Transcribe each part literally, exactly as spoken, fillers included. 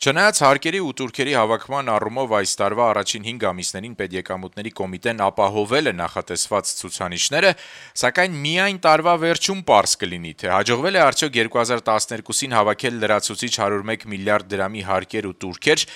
Չնայած հարկերի ու տուրքերի հավաքման առումով այս տարվա առաջին հինգ ամիսներին պետեկամուտների կոմիտեն ապահովել է նախատեսված ցուցանիշները, սակայն միայն տարվա վերջում պարզ կլինի, թե հաջողվել է արդյոք երկու հազար տասներկուսին հավաքել լրացուցիչ հարյուր մեկ միլիարդ դրամի հարկեր ու տուրքեր,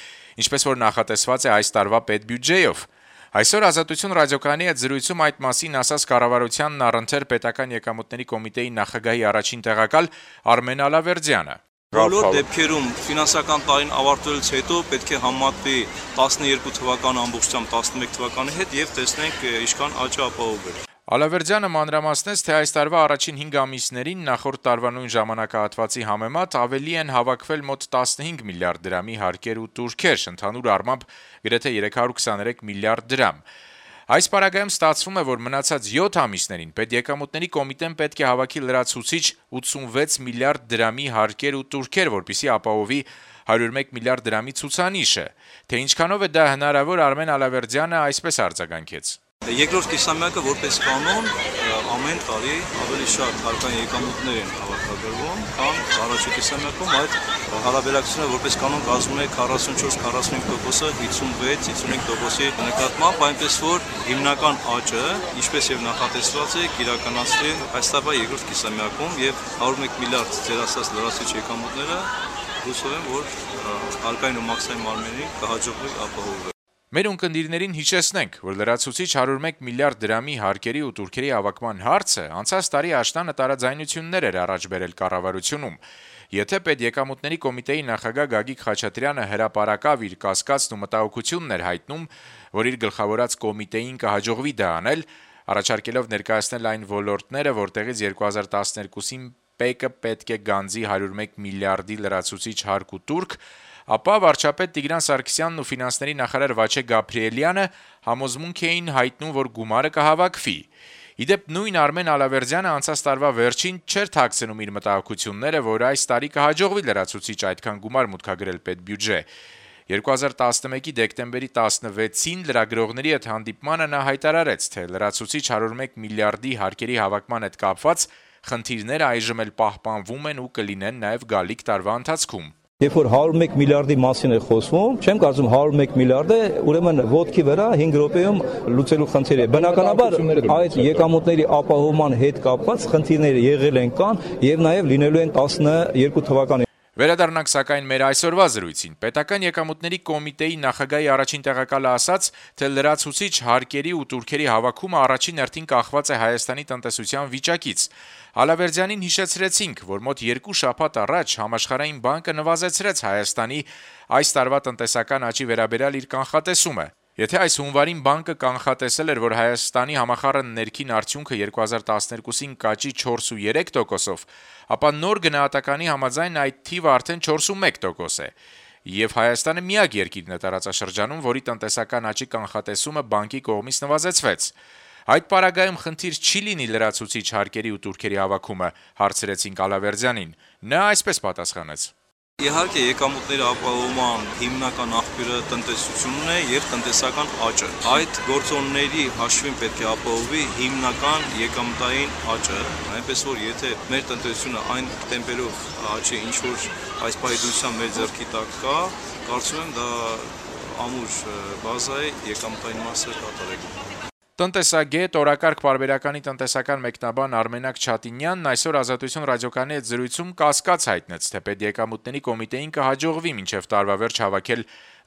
ինչպես որ նախատեսված է այս տարվա պետբյուջեով։ Այսօր «Ազատություն» ռադիոկայանի հետ զրույցում այդ մասին ասաց կառավարությանն առընթեր պետական եկամուտների կոմիտեի նախագահի առաջին տեղակալ Արմեն Ալավերդյանը։ Բոլոր դեպքերում ֆինանսական տարին ավարտվելուց հետո պետք է համատվի տասներկու թվականը ամբողջությամբ տասնմեկ թվականի հետ եւ տեսնենք ինչքան աճ ապահովել։ Ալավերդյանը մանրամասնեց, թե այս տարվա առաջին հինգ ամիսներին նախորդ տարվա նույն ժամանակահատվածի համեմատ ավելի են հավաքվել մոտ տասնհինգ միլիարդ դրամի հարկեր ու տուրքեր, ընդհանուր առմամբ գրեթե երեք հարյուր քսաներեք միլիարդ դրամ։ Այս պարագայում ստացվում է, որ մնացած յոթ ամիսներին պետեկամուտների կոմիտեն պետք է հավաքի լրացուցիչ ութսունվեց միլիարդ դրամի հարկեր ու տուրքեր, որպեսզի ապահովի հարյուր մեկ միլիարդ դրամի ցուցանիշը։ Թե ինչքանով է դա հնարավոր, Արմեն Ալավերդյանը այսպես արձագանքեց. Երկրորդ կիսամյակը որպես կանոն ամեն տարի ավելի շատ հարկային եկամուտներ են հավաքագրվում, քան առաջին կիսամյակում, այդ հարաբերակցությունը որպես կանոն կազմում է քառասունչորս քառասունհինգ տոկոսը հիսունվեց հիսունհինգ տոկոսի նկատմամբ, այնպես որ հիմնական աճը, ինչպես եւ նախատեսված է, կիրականացվի այս տարվա երկրորդ կիսամյակում եւ հարյուր մեկ միլիարդ ձեր ասած լրացուցիչ եկամուտները հուսով եմ, որ հարկային ու մաքսային մարմիններին կհաջողվի ապահովել։ Մեր ունկնդիրներին հիշեցնենք, որ լրացուցիչ հարյուր մեկ միլիարդ դրամի հարկերի ու տուրքերի հավաքման հարցը անցած տարի աշնանը տարաձայնություններ էր առաջ բերել կառավարությունում։ Եթե պետեկամուտների կոմիտեի նախագահ Գագիկ Խաչատրյանը հրապարակավ իր կասկածն ու մտահոգությունն էր հայտնում, որ իր գլխավորած կոմիտեին կհաջողվի դա անել, առաջարկելով ներկայացնել այն ոլորտները, որտեղից երկու հազար տասներկուսին ՊԵԿ-ը պետք է գանձի հարյուր մեկ միլիարդի լրացուցիչ հարկ ու տուրք, ապա վարչապետ Տիգրան Սարգսյանն ու ֆինանսների նախարար Վաչե Գաբրիելյանը համոզմունք էին հայտնում, որ գումարը կհավաքվի։ Իդեպ նույն Արմեն Ալավերդյանը անցած տարվա վերջին չէր թաքցնում իր մտահոգությունները, որ այս տարի կհաջողվի լրացուցիչ այդքան գումար մուտքագրել պետբյուջե։ երկու հազար տասնմեկի դեկտեմբերի տասնվեցին լրագրողների հետ հանդիպմանը նա հայտարարեց, թե լրացուցիչ հարյուր մեկ միլիարդի հարկերի հավաքման հետ կապված խնդիրները այժմ էլ պահպանվում են ու կլինեն նաև գալիք տարվա ընթացքում։ Երբ որ հարյուր մեկ միլիարդի մասին է խոսվում, չեմ կարծում հարյուր մեկ միլիարդը ուրեմն ոտքի վրա հինգ րոպեում լուծելու խնդիր է։ Բնականաբար այդ եկամուտների ապահովման հետ կապված խնդիրները եղել են կան եւ նաեւ լինելու են տասներկու թվականին։ Վերադառնանք սակայն մեր այսօրվա զրույցին։ Պետական եկամուտների կոմիտեի նախագահի առաջին տեղակալը ասաց, թե լրացուցիչ հարկերի ու տուրքերի հավաքումը առաջին հերթին կախված է Հայաստանի տնտեսության վիճակից։ Ալավերդյանին հիշեցրեցինք, որ մոտ երկու շաբաթ առաջ Համաշխարհային բանկը նվազեցրեց Հայաստանի այս տարվա տնտեսական աճի վերաբերյալ իր կանխատեսումը։ Եթե այս հունվարին բանկը կանխատեսել էր, որ Հայաստանի համախառն ներքին արդյունքը երկու հազար տասներկուսին կաճի չորսուերեք տոկոսով, ապա նոր գնահատականի համաձայն այդ թիվը արդեն չորսումեկ տոկոս է։ Եվ Հայաստանը միակ երկիրն է տարածաշրջանում, որի տնտեսական աճի կանխատեսումը բանկի կողմից նվազեցվեց։ Այդ պարագայում խնդիր չի լինի լրացուցիչ հարկերի ու տուրքերի հավաքումը, հարցրեցինք Ալավերդյանին։ Նա այսպես պատասխանեց. Իհարկե եկամուտների ապահովման հիմնական աղբյուրը տնտեսությունն է եւ տնտեսական աճը։ Այդ գործոնների հաշվին պետք է ապահովի հիմնական եկամտային աճը, այնպես որ եթե մեր տնտեսությունը այն տեմպերով աճի, ինչ որ այս պայծության մեր ձեռքի տակ կա, կարծում եմ դա ամուր բազա է եկամտային մասը կատարելու։ Տնտեսագետ, օրակարգ պարբերականի տնտեսական մեկնաբան Արմենակ Չատինյանն այսօր «Ազատություն» ռադիոկայանի հետ զրույցում կասկած հայտնեց, թե պետեկամուտների կոմիտեին կհաջողվի մինչև տարվա վերջ հավաքել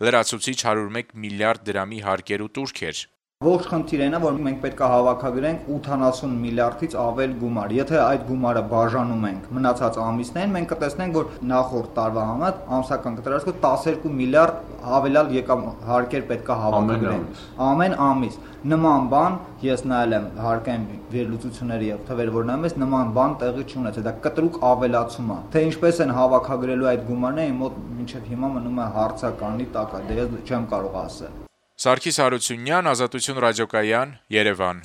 լրացուցիչ հարյուր մեկ միլիարդ դրամի հարկեր ու տուրքեր։ Ողջ խնդիրն է, որ մենք պետք է հավաքագրենք ութանասուն միլիարդից ավել գումար։ Եթե այդ գումարը բաժանում ենք մնացած ամիսներին, մենք կտեսնենք, որ նախորդ տարվա համեմատ ամսական կտրվածքով տասներկու միլիարդ հավելյալ եկամ հարկեր պետք է հավաքագրենք ամեն ամիս։ Նման բան ես նայել եմ հարկային վերլուծությունների եւ թվերը, որ նայում ես, նման բան տեղի չունեցել։ Դա կտրուկ ավելացում է։ Թե ինչպես են հավաքագրելու այդ գումարները, իմ մոտ մինչեւ հիմա մնում է հարցականի տակ, դե ես չեմ կարող ասել։ Սարգիս Հարությունյան, Ազատություն ռադիոկայան, Երևան։